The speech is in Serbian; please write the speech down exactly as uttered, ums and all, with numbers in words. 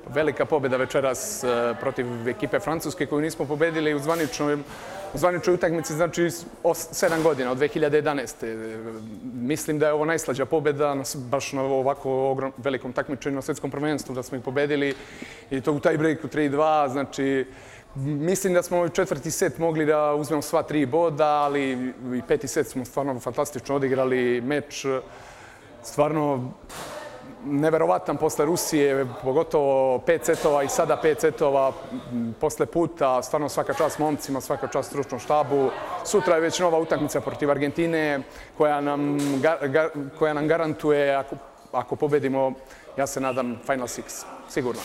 Velika pobjeda večeras protiv ekipe Francuske koju nismo pobedili u zvaničnoj u zvaničnoj utakmici, znači sedam godina, od dve hiljade jedanaeste. Mislim da je ovo najslađa pobjeda baš na ovako velikom takmičenju na svjetskom prvenstvu, da smo ih pobedili i to u taj breaku tri dva. Znači, mislim da smo u četvrti set mogli da uzmemo sva tri boda, ali i peti set smo stvarno fantastično odigrali meč. Stvarno neverovatan posle Rusije, pogotovo pet setova i sada pet setova posle puta. Stvarno svaka čast momcima, svaka čast stručnom štabu. Sutra je već nova utakmica protiv Argentine koja nam, koja nam garantuje, ako, ako pobedimo, ja se nadam, Final Six. Sigurno.